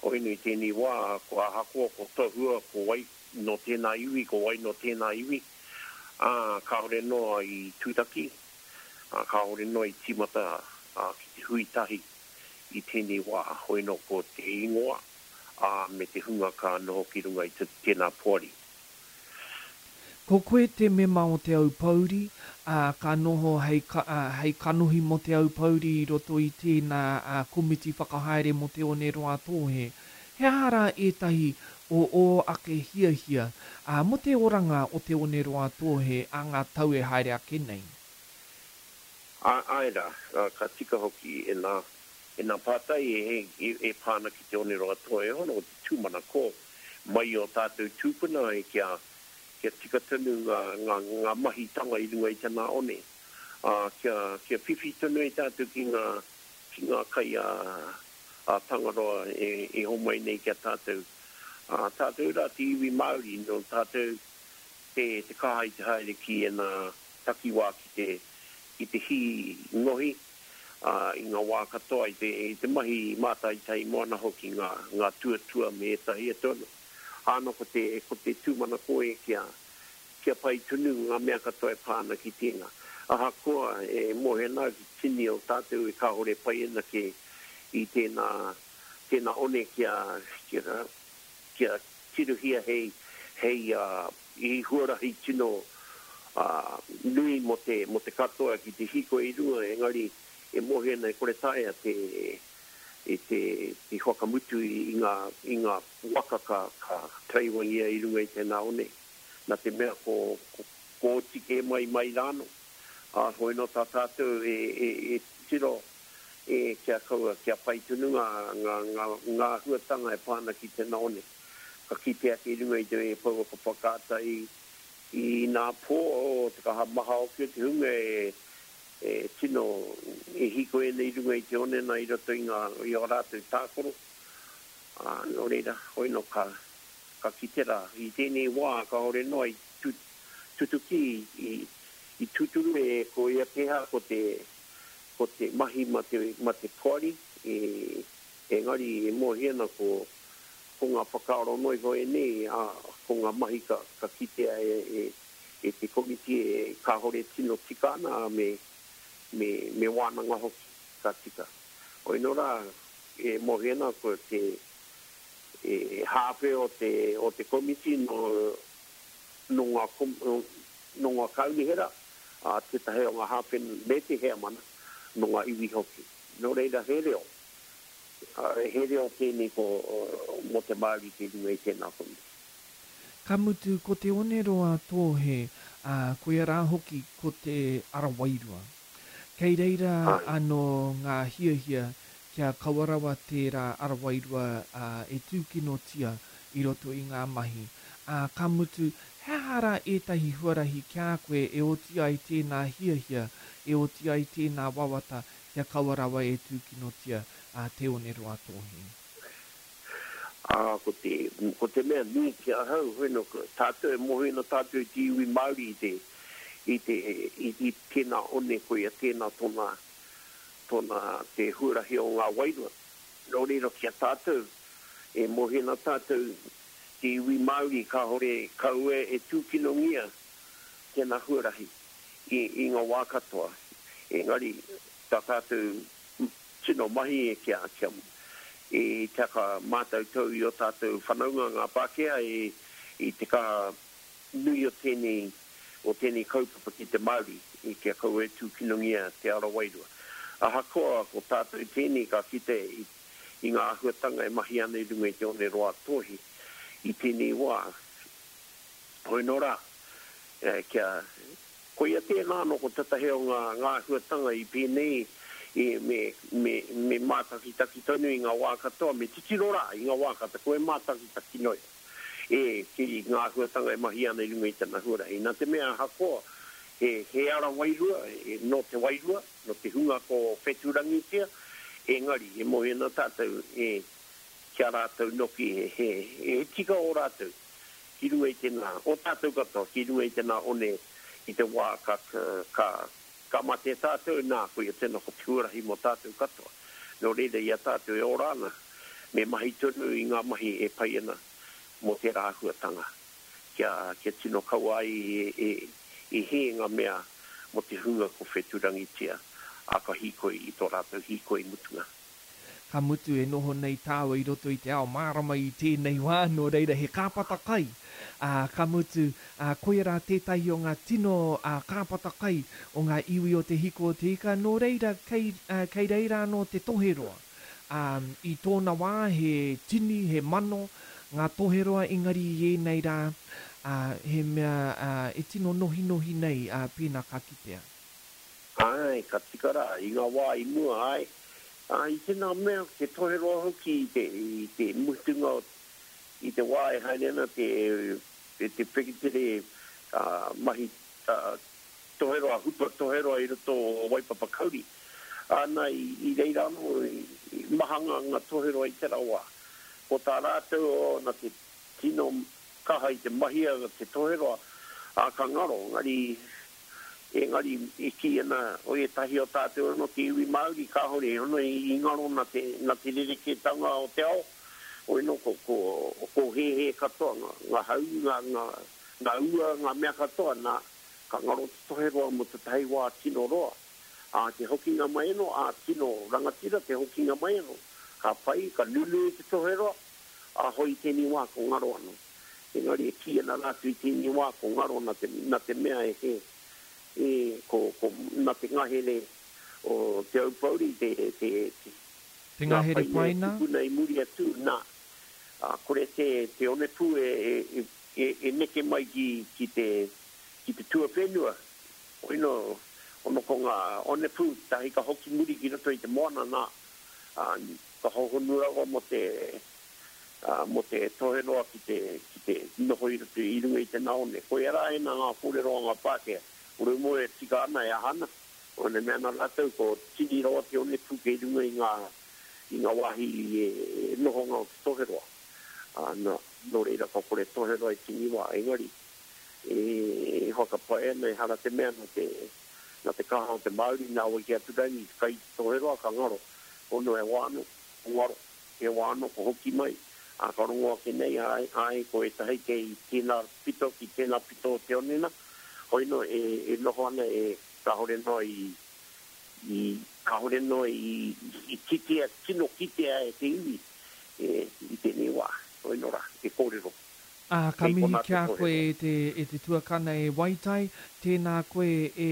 Speaker 8: Hoinu i tēnei wā, ko ahakoa ko tohua, ko wai nō tēnā iwi, ko wai nō tēnā iwi, ā, kāore noa i tūtaki, ā, kāore noa i tīmata ā, ki te hui tahi i tēnei wā. Hoino ko te ingoa, ā, me te hunga ka noho ki runga i tēnā poari.
Speaker 3: Ko koe te mema o Te Aupōuri, ā, ka noho hei, ā, hei kanohi mō Te Aupōuri i roto i tēnā, ā, komiti whakahaere mō Te Oneroa-a-Tōhe. He aha rā ētahi o ō ake hiahia, ā, mō te oranga o Te Oneroa-a-Tōhe ā ngā tau e haere ake nei?
Speaker 8: Ā, āe rā, ā, ka tika hoki ēnā, ēnā pātai e, e, e pā ana ki Te Oneroa-a-Tōhe. Hono ko te tūmanako mai i ō tātou tūpuna e kia, kia tika tonu ngā, ngā, ngā mahitanga i runga i tana one, ā, kia, kia whiwhi tonu ai tātou ki ngā, ki ngā kai a, a Tangaroa e, e homai nei ki a tātou. Ā, tātou rā te iwi Māori, nō tātou te, te kaha i te haere ki ēnā takiwā ki te, ki te hī ngohi, ā, i ngā wā katoa, i te, i te mahi mātaitai moana hoki ngā, ngā tuatua me ētahi atu anō. Āno ko te, ko te tūmanako e kia, kia pai tonu ngā mea katoa e pā ana ki tēnā. Ahakoa e mōhio ana au ki te tini o tātou e kāore pai ana ke i tēnā, tēnā one kia, kia, kia tirohia hei, hei, uh, i huarahi tino uh, nui mō te, mō te katoa ki te hīkoi i runga, engari e mōhio ana e kore taea te, e te, te whakamutu i, i ngā, i ngā waka ka, ka taraiwangia i runga i tēnā one. Nā te mea ko, ko, ko oti kē mai mai rānō. Ā, hoi nō tā tātou e, e, e tiro e, kia kaua, kia pai tonu ngā, ngā, ngā, ngā āhuatanga e pā ana ki tēnā one. Ka kite ake i runga i te pouaka whakaata i, i nā pō o te kaha maha hoki o te hunga e, e tino e hīkoi ana i runga i te one nā i roto i ngā, i ō rātou tākaro. Ā, nō reira, hoi nō ka, ka kite rā. I tēnei wā, kāore noa i tu, tutuki, i, i tūturu e ko ia pēhā ko te, ko te mahi ma te, ma te poari, e, engari e mōhio ana ko, ko ngā whakaaro noa iho ēnei, ā, ko ngā mahi ka, ka kitea e, e, e te komiti e kāore tino tika ana, ā, me, me, me wānanga hoki, ka tika. Hoi nō rā, e mōhio ana ko te, e hāwhe o te, o te komiti nō, nō ngā, nō ngā kaunihera, ā, tētahi o ngā hāwhe me te heamana, nō ngā iwi hoki. Nō reira he reo, He reo tēnei ko mō te Māori kei runga i tēnā komiti.
Speaker 3: Ka mutu ko Te Oneroa Tōhe, ā, koia rā hoki ko te ara wairua. Kei reira anō ngā hiahia kia kaua rawa tērā ara wairua e tūkinotia i roto i ngā mahi. Ā, ka mutu, he aha rā ētahi huarahi ki a koe e oti ai tēnā hiahia, e oti ai tēnā wawata kia kaua rawa e tūkinotia a Te Oneroa Tōhe?
Speaker 8: Ā, ko te, ko te mea nui ki ahau, hono, tātou e mōhio ana tātou i te iwi Māori i te, i te, i, i tēnā one, koia tēnā tōna, tōna, te huarahi o ngā wairua. Nō reira ki a tātou, e mōhio ana tātou te iwi Māori kāore kaua e tūkinongia tēnā huarahi i, i ngā wā katoa. Engari, tā tātou tino mahi e kia, kia, e te aka mātautau i o tātou whanaunga ngā Pākehā e, i te kaha nui o tēnei, o tēnei kaupapa ki te Māori, i kia kaua e tūkinongia te ara wairua. Ahakoa ko tātou tēnei ka kite i, i ngā āhuatanga e mahi ana i runga i te Oneroa Tōhi i tēnei wā, hoi nō rā, e, kia, koia tēnā anō ko tētahi o ngā, ngā āhuatanga i pēnei e, me, me, me mātakitaki tonu i ngā wā katoa, me titiro rā i ngā wā katoa, koe mātakitaki noi, e, ki ngā āhuatanga e mahi ana i runga i tana huarahi. Nā te mea ahakoa, he, he ara wairua, e, nō te wairua, nō te hunga ko whetūrangitia, engari, e mōhio ana tātou, e, ki a rātou noki, he, he, he tika o rātou, ki runga i tēnā, o tātou katoa, ki runga i tēnā one, i te wā ka, ka, ka mate tātou, nā, koia tēnā ko te huarahi mō tātou katoa. Nō reira i a tātou e ora ana, me mahi tonu i ngā mahi e pai ana mō tērā āhuatanga, kia, kia tino kaua ai e, e, e hē ngā mea mō te hunga ko whetūrangitia, ā ka hīkoi i tō rātou hīkoi mutunga.
Speaker 3: Ka mutu e noho nei tāua i roto i te ao mārama i tēnei wā, nō reira he kāpata kai. Ā, ka mutu, ā, koia rā tētahi o ngā tino, ā, kāpata kai o ngā iwi o Te Hiko o Te Ika, nō reira kei, ā, kei reira anō te toheroa. Ā, i tōna wā he tini, he mano ngā toheroa engari i ēnei rā, ā, he mea, ā, e tino nohinohi nei, ā, pēnā ka kitea.
Speaker 8: Āe, ka tika rā, i ngā wā i mua, āe, ā, i tēnā mea, te toheroa hoki i te, i te mutunga o, i te wā e haere ana te, te, te wheketere, ā, mahi, ā, toheroa, hupa toheroa i roto o Waipapa Kauri. Āna, i, i reira anō, i, i maha ngā, ngā toheroa i tērā wā. Ko tā rātou, o, nā te tino kaha i te mahia te toheroa, ā, ka ngaro, engari, engari e kī ana o ētahi o tātou anō te iwi Māori, kāore hono i, i ngaro nā te, nā te rerekētanga o te ao, hoi nō ko, ko, ko hēhē katoa, ngā, ngā hau, ngā, ngā, ngā ua, ngā mea katoa, nā, ka ngaro te toheroa mō tētahi wā tino roa. Ā, te hokinga mai anō, ā, tino rangatira te hokinga mai anō. Ka pai, ka nunui te toheroa, ā, hoi i tēnei wā ko ngaro anō. Engari e kī ana rātou i tēnei wā ko ngaro nā te, nā te mea e he, e, ko, ko, nā te ngahere o Te Aupōuri, te, te, te,
Speaker 3: Te
Speaker 8: ngā
Speaker 3: ngahere
Speaker 8: paina e
Speaker 3: paina?
Speaker 8: tupuna i muri atu, nā, ā, kore te, te onepū e, e, e, e neke mai ki, ki te, ki te tuawhenua. Hoino, ono ko ngā onepū, tahi ka hoki muri ki roto i te moana, nā, ā, ka hohonu rawa mō te, ā, mō te toheroa ki te, ki te noho i roto i runga i te naone. Koia rā ēnā ngā kōrero a ngā Pākehā. Ko rau moe e tika ana e aha ana. Ona mea ana rātou ko tini rawa te onepū kei runga i ngā, i ngā wāhi e, e nohonga o te toheroa. Ā, nā, nō reira ka kore toheroa i tini wā, engari, e, e whakapae ana ehara te mea nā te, nā te kaha o te Māori, nā wai ki atu rangi, te kai te toheroa ka ngaro. Ono e wā anō, ko ngaro, e wā anō, ko hoki mai. Ā, ka rongo ake nei, āe, āe, ko ētahi kei tēnā pito ki tēnā pito o te onena, hoino e, e noho ana e kāore noa i, i, kāore noa i, i kitea, tino kitea e te iwi, e, i tēnei wā, hoino rā, e kōrero.
Speaker 3: Ā, ka
Speaker 8: Kei
Speaker 3: mihi
Speaker 8: konā
Speaker 3: ki
Speaker 8: te
Speaker 3: a koe
Speaker 8: kōrero.
Speaker 3: e te, e te tuakana e Waitai, tēnā koe e,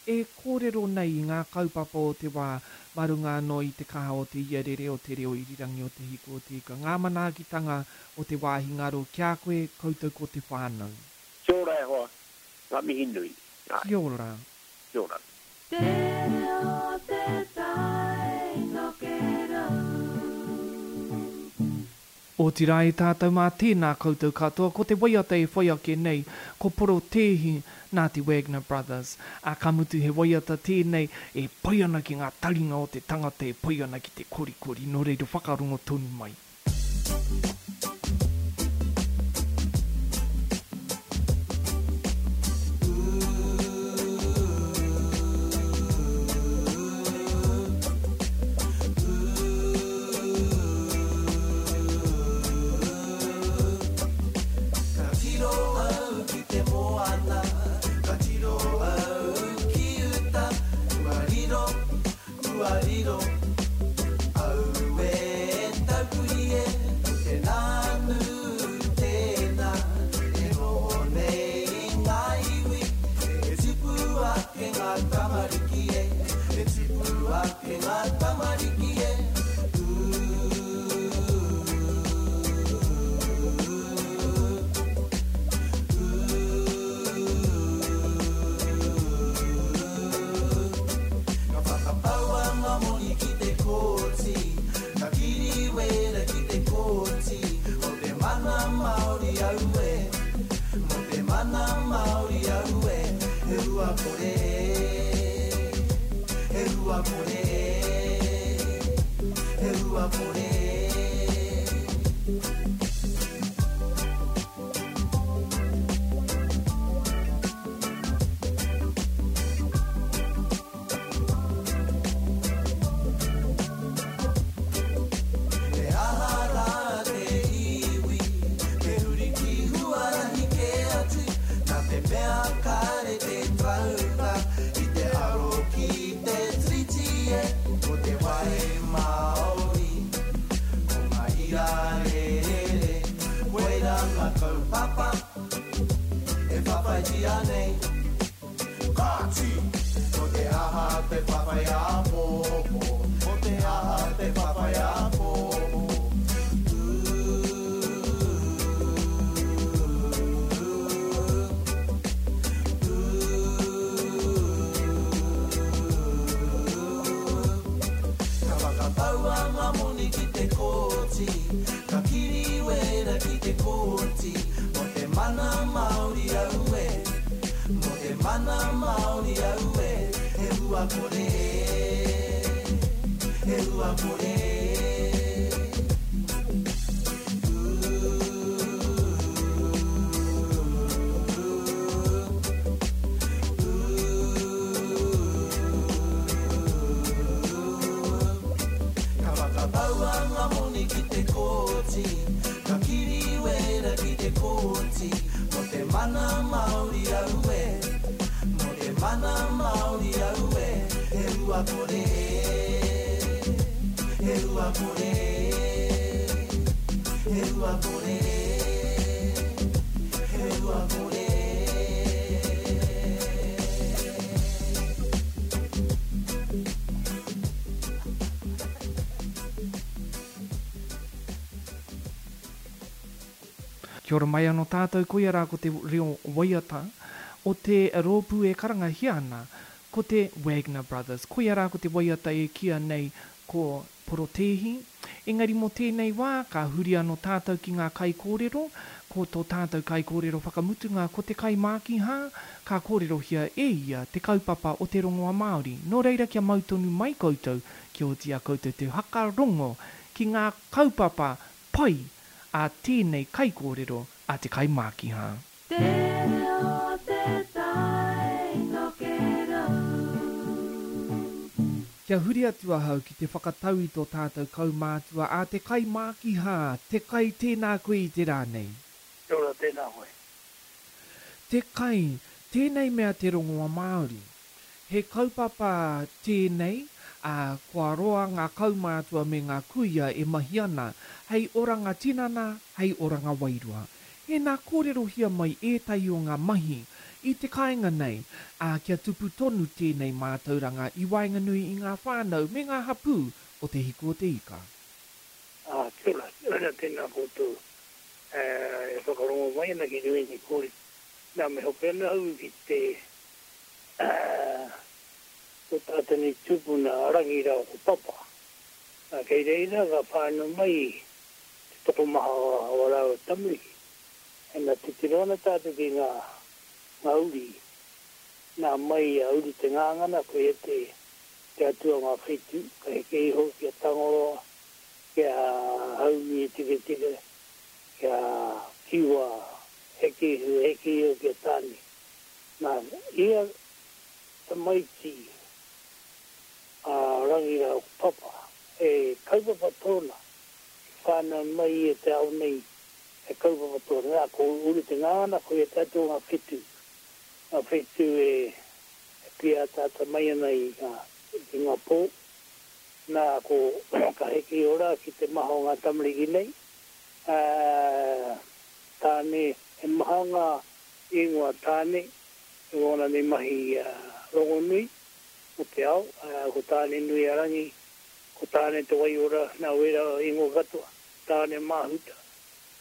Speaker 3: e kōrero nei i ngā kaupapa o te wā mā runga anō i te kaha o te iarere o te reo irirangi o Te Hiku o Te Ika. Ngā manaakitanga o te wāhi ngaro ki a koe, koutou ko te whānau.
Speaker 8: Kia ora e hoa, ngā mihi nui. Āe.
Speaker 3: Kia ora.
Speaker 8: Kia ora.
Speaker 2: Te reo te tai tokerau.
Speaker 3: Otirā e tātou mā tēnā koutou katoa, ko te waiata e whai ake nei, ko Porotēhi nā te Wagner Brothers. Ā, ka mutu he waiata tēnei e pai ana ki ngā taringa o te tangata e pai ana ki te korikori, nō reira whakarongo tonu mai.
Speaker 5: Ka tiro au ki te moana, ka tiro au ki uta, kua riro, kua riro. Aue taupuri e, tēnā nu, tēnā, e noho nei ngā iwi, e tipu ake ngā tamariki e, e tipu ake ngā tamariki e. Ka whakapaua ngā moni ki te kōti, ka kiriwera ki te kōti, mō te mana Māori aue, mō te mana Māori aue, he hua kore, he hua kore, he hua kore. He aha rā te iwi, te huri ki huarahi kē atu, nā te mea kāre te tarauna, i te aro ki te tiriti e, ko te wai Māori, ko ngā ira rere, koirā ngā kaupapa, e whawhaitia nei. Kāti! Ko te aha te whawhai āpōpō, ko te aha te whawhai āpōpō. Ka whakapaua ngā moni ki te kōti, ka kiriwera ki te kōti, mō te mana Māori aue, mō te mana Māori aue, he hua kore, he hua kore. Ka whakapaua ngā moni ki te kōti, ka kiriwera ki te kōti, mō te mana Māori aue, mō te mana Māori aue, he hua kore, he hua kore, he hua kore, he hua kore.
Speaker 3: Kia ora mai anō tātou, koia rā ko te reo waiata o te rōpū e karangahia ana, ko te Wagner Brothers. Koia rā ko te waiata e kīa nei ko Porotēhi. Engari mō tēnei wā, ka huri anō tātou ki ngā kaikōrero, ko tō tātou kaikōrero whakamutunga ko te kaimākihā, ka kōrerohia e ia te kaupapa o te rongoa Māori. Nō reira kia mau tonu mai koutou, kia oti a koutou te whakarongo ki ngā kaupapa pai a tēnei kaikōrero a te kaimākihā.
Speaker 2: Te reo te tai tokerau.
Speaker 3: Kia huri atu ahau ki te whakatau i tō tātou kaumātua a te kaimākihā, te kai tēnā koe i te rā nei.
Speaker 7: Kia ora, tēnā koe.
Speaker 3: Te kai, tēnei mea te rongoa Māori. He kaupapa tēnei, ā, kua roa ngā kaumātua me ngā kuia e mahi ana hei oranga tinana, hei oranga wairua. Tēnā kōrerohia mai ētahi o ngā mahi i te kāinga nei, ā, kia tupu tonu tēnei mātauranga i waenganui i ngā whānau me ngā hapū o Te Hiku o Te Ika.
Speaker 9: Ā, kia ora, kia ora tēnā koutou e whakarongo mai ana ki ēnei kōrero. Nā, me hoki ana au ki te, ko tā tēnei tupuna a Rangi rāua ko Papa. Nā, kei reira ka whānau mai te tokomaha o ā rāua tamariki. Ina titiro ana tātou ki ngā, ngā uri, nā mai a Uru Te Ngāngana, ko ia te, te atua o ngā whetū, ka heke iho ki a Tangaroa, ki a Haumi e Tiketike, ki a Kiwa, heke iho, heke iho ki a Tāne. Nā, ia tamaiti a Rangi rāua ko Papa, he kaupapa tōna, i whānau mai ia te ao nei, he kaupapa tōna. Nā, ko Uru Te Ngāngana, ko ia te atua o ngā whetū, ngā whetū e, e pīataata mai ana i ngā, i ngā pō. Nā, ko, ka heke iho rā ki te maha o ngā tamariki nei, ā, Tāne, he maha ngā ingoa Tāne, i wōna nei mahi rongonui o te ao, ko Tāne-nui-a-rangi, ko Tāne te Waiora, nā wērā ingoa katoa, Tāne Māhuta,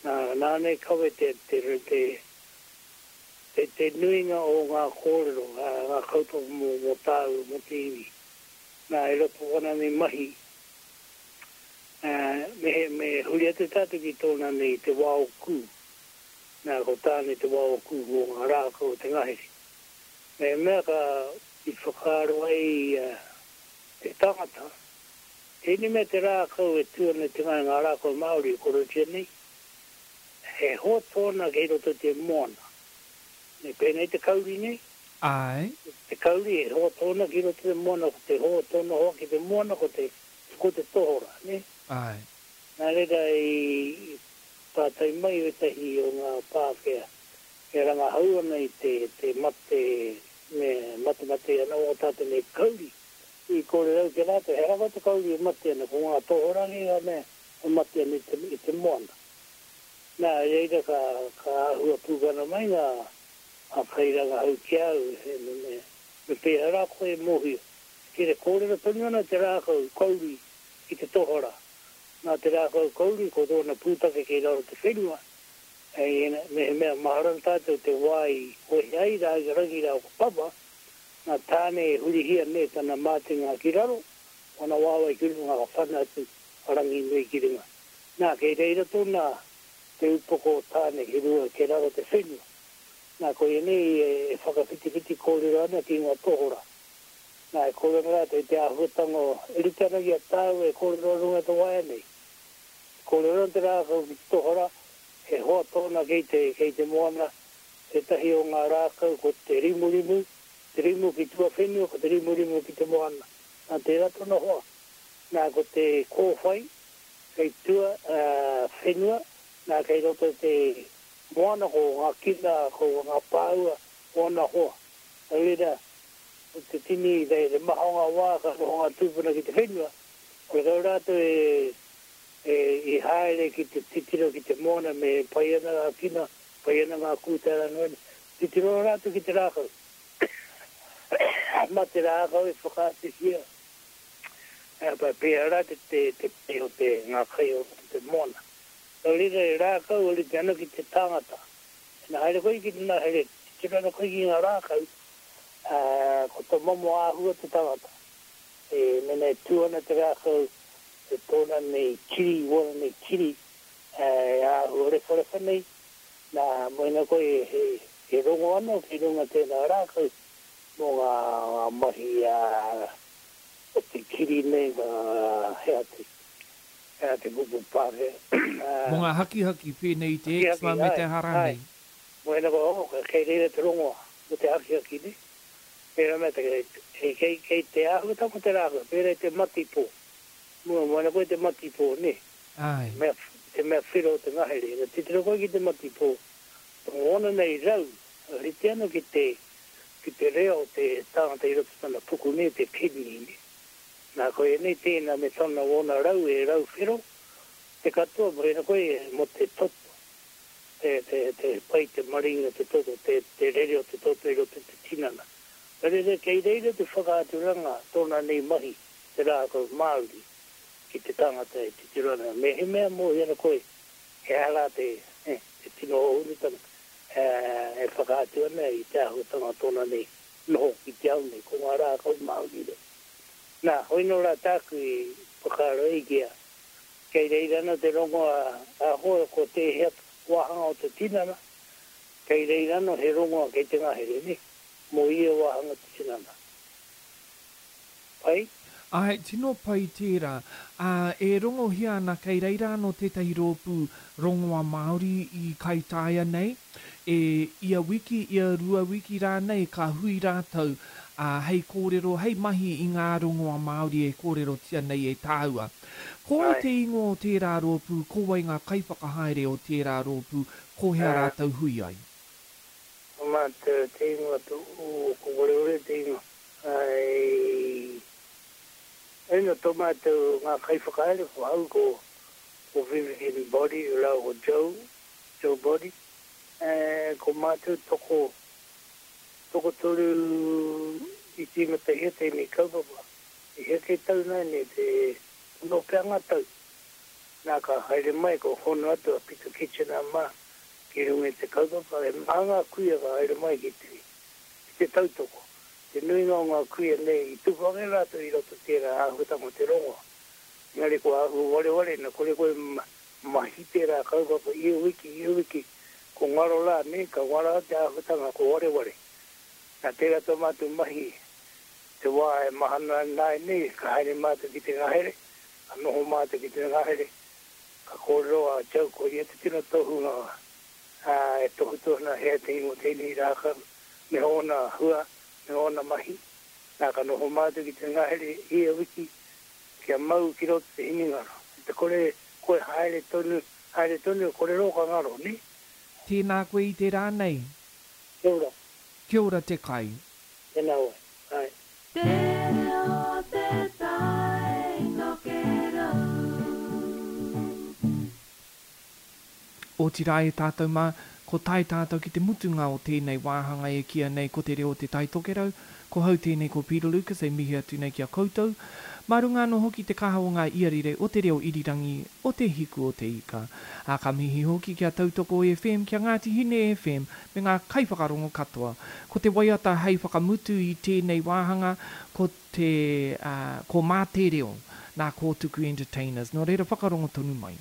Speaker 9: nā, nāna i kawe te, te, te, te, te nuinga o ngā kōrero, ngā kaupapa mō, mō tāu, mō te iwi. Nā, i roto wana nei mahi, me, me huri atu tātou ki tōna nei te wao kū. Nā, ko Tāne te wao kū mō ngā rākau o te ngahere. Mehemea ka i whakaaro ai te tangata, tēnei mea te rākau e tū ana i te ngae, ngā rākau Māori e korotia nei, he hoa tōna kei roto i te moana. Me pēnei te kauri nei?
Speaker 3: Āe.
Speaker 9: Te kauri, he hoa tōna ki roto i te moana, ko te hoa tōna hoa ki te moana, ko te, ko te tohora, nē?
Speaker 3: Āe.
Speaker 9: Nā reira i pātai mai wētahi o ngā Pākehā e rangahau ana i te, te mate, me matemate ana o tātou nei kauri. I kōrero au ki a rātou, he rawa te kauri e mate ana, ko ngā tohora kē ngā mea e mate ana i te, i te moana. Nā, i reira ka, ka āhua pūkana mai ngā, ngā kairangahau ki a au, he, me, me, me pēhea rā koe e mōhio. Kere kōrero tonu ana te rākau kauri ki te tohora. Nā te rākau kauri, ko tōna pūtake kei raro te whenua, hei, mehemea mahara ana tātou te wā i wehe ai rā, i Rangi rā ko Papa, nā Tāne e hurihia nei tana mātenga ki raro, wana waewae ki runga ka whana atu a Ranginui ki runga. Nā, kei reira tōna te upoko o Tāne ki runga, kei raro te whenua. Nā, koia nei e whakawhitiwhiti kōrero ana ki ngā tohora. Nā, e kōrero ana rātou i te āhuatanga o, e rite ana ki a tāua e kōrero ana runga i te waea nei. E kōrero ana te rākau ki te tohora, he hoa tōna kei te, kei te moana, tētahi o ngā rākau ko te rimurimu, te rimu ki tuawhenua, ko te rimurimu ki te moana. Nā, tērā tōna hoa. Nā, ko te kōwhai kei tua whenua, nā, kei roto i te moana ko ngā kina, ko ngā pāua o ana hoa. Nō reira, ko te tini, te maha o ngā wā ka noho ngā tūpuna ki te whenua, horekau rātou e, e, i haere ki te titiro ki te moana me pai ana ngā kina, pai ana ngā kūtara noa nei. Titiro ana rātou ki te rākau. Mā te rākau e whakaatuhia, pēhea rā te, te, te pai o te, ngā kai o te moana. Nō reira, he rākau e rite ana ki te tangata. Ina haere koe ki te ngahere, titiro ana koe ki ngā rākau, ā, ko tō momo āhua te tangata. E, mēnā e tū ana te rākau, e tōna nei kiri, wōna nei kiri, ā, e āhua rewharewha nei, nā, mēnā koe e, e, e rongo ana ki runga tēnā rākau mō ngā, ngā mahi, ā, o te kiri nei, ngā, he aha te, Ea te kupu Pākehā.
Speaker 3: Mō ngā hakihaki pēnei i te eczema me te aha rānei.
Speaker 9: Mō ēnā koa, oh, kei reira te rongoa mō te hakihaki, nē. Pērā mea te, kei, kei, kei te āhuatanga o te rākau, pērā i te matipō. Mua, mō ēnā koa i te matipō, nē.
Speaker 3: Āe.
Speaker 9: Te mea, te mea whero o te ngahere. Ina titiro koe ki te matipō, tōna nei rau, rite ana ki te, ki te reo o te tangata i roto tana puku, nē, te kidney, nē. Nā, ko ēnei tēnā me tana ōna rau e rau whero te katoa, mō ēnā koe mō te toto. Te, te, te pai te maringa te toto, te, te rere o te toto i roto te tinana. Ka reira, kei reira te whakaaturanga tōna nei mahi, te rākau Māori, ki te tangata e titiro ana. Me he mea mōhio ana koe, he aha rā te, eh, te tino hōhonutanga, eh, e whakaatu ana i te āhuatanga tōna nei noho ki te ao nei, ko ngā rākau Māori rā. Nā, hoi nō rā tāku i whakaaro ai ki a, kei reira ana te rongoa a hoe ko tēhea wāhanga o te tinana, kei reira anō he rongoa kei te ngahere, nē, mō ia wāhanga o te tinana. Pai?
Speaker 3: Āe, tino pai tērā. Ā, e rongohia ana kei reira anō tētahi rōpū rongoa Māori i Kaitaia nei, e ia wiki, ia rua wiki rānei ka hui rātou, ā, hei kōrero, hei mahi i ngā rongoa Māori e kōrerotia nei e tāua. Ko wai
Speaker 9: Āe.
Speaker 3: te ingoa o tērā rōpū, ko wai ngā kaiwhakahaere o tērā rōpū, ko hea
Speaker 9: Ā.
Speaker 3: rātou hui ai?
Speaker 9: Ko mātou te ingoa tō, ko Wareware te ingoa. Āe. Ina tō mātou ngā kaiwhakahaere ko au ko ko Vivian Body rāua ko Joe, Joe Body, e, ko mātou toko, tokotoru i tīmatahia tēnei kaupapa. I heke tau nāianei te ono pea ngā tau. Nā ka haere mai ko hono atu a Peter Kitchener mā ki runga i te kaupapa, e maha ngā kuia ka haere mai ki te, ki te tautoko. Te nuinga o ngā kuia nei i tupu ake rātou i roto tērā āhuatanga o te rongoa. Engari kua āhua wareware na kore koe mahi tērā kaupapa ia wiki, ia wiki, ko ngaro rā, nē, ka ngaro te āhuatanga ko wareware. Nā tērā tō mātou mahi te wā e mahana ana nāianei, ka haere mātou ki te ngahere, ka noho mātou ki te ngahere, ka kōrero a Joe ko ia te tino tohunga, ā, e tohutohu ana hea te ingoa tēnei rākau me ōna hua, me ōna mahi. Nā, ka noho mātou ki te ngahere ia wiki kia mau ki roto te hinengaro. I te kore koe haere tonu, haere tonu, kore rō ka ngaro, nē?
Speaker 3: Tēnā koe i te rā nei.
Speaker 9: Kia ora.
Speaker 3: Kia ora te kai.
Speaker 9: Tēnā wai. Āe.
Speaker 2: Te reo o te tai tokerau.
Speaker 3: Otirā e tātou mā, ko tae tātou ki te mutunga o tēnei wāhanga e kīia nei ko Te Reo o Te Tai Tokerau, ko hau tēnei ko Peter Lucas e mihi atu nei ki a koutou, mā runga anō hoki te kaha o ngā iarire o te reo irirangi o Te Hiku o Te Ika. Ā, ka mihi hoki ki a Tautoko F M, ki a Ngāti Hine F M, me ngā kaiwhakarongo katoa. Ko te waiata hei whakamutu i tēnei wāhanga, ko te, ā, ko Mā Te Reo, nā Kōtuku Entertainers. Nō reira whakarongo tonu mai.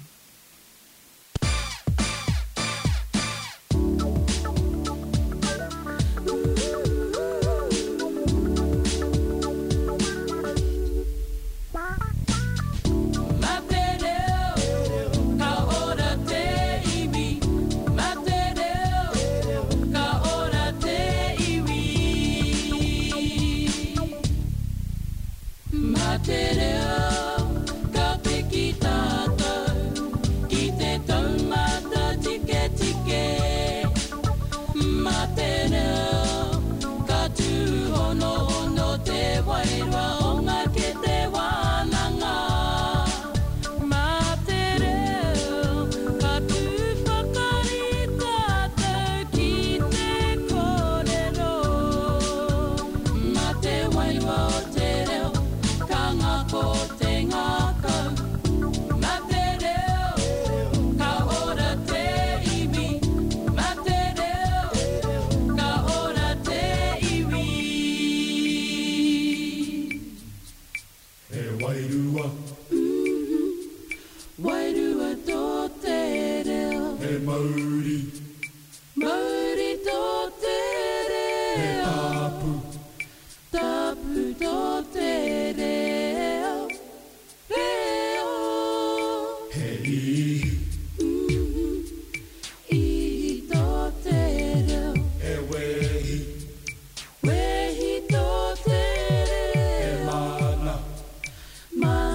Speaker 2: Wehi tō te reo. He mana. Mana.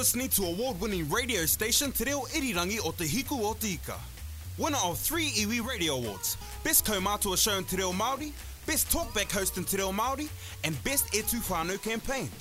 Speaker 1: listening to award-winning radio station Te Reo Irirangi o Te Hiku o Te Ika. Winner of three Iwi Radio Awards, Best Kaumātua Show in Te Reo Māori, Best Talkback Host in Te Reo Māori, and Best E Tū Whānau Campaign.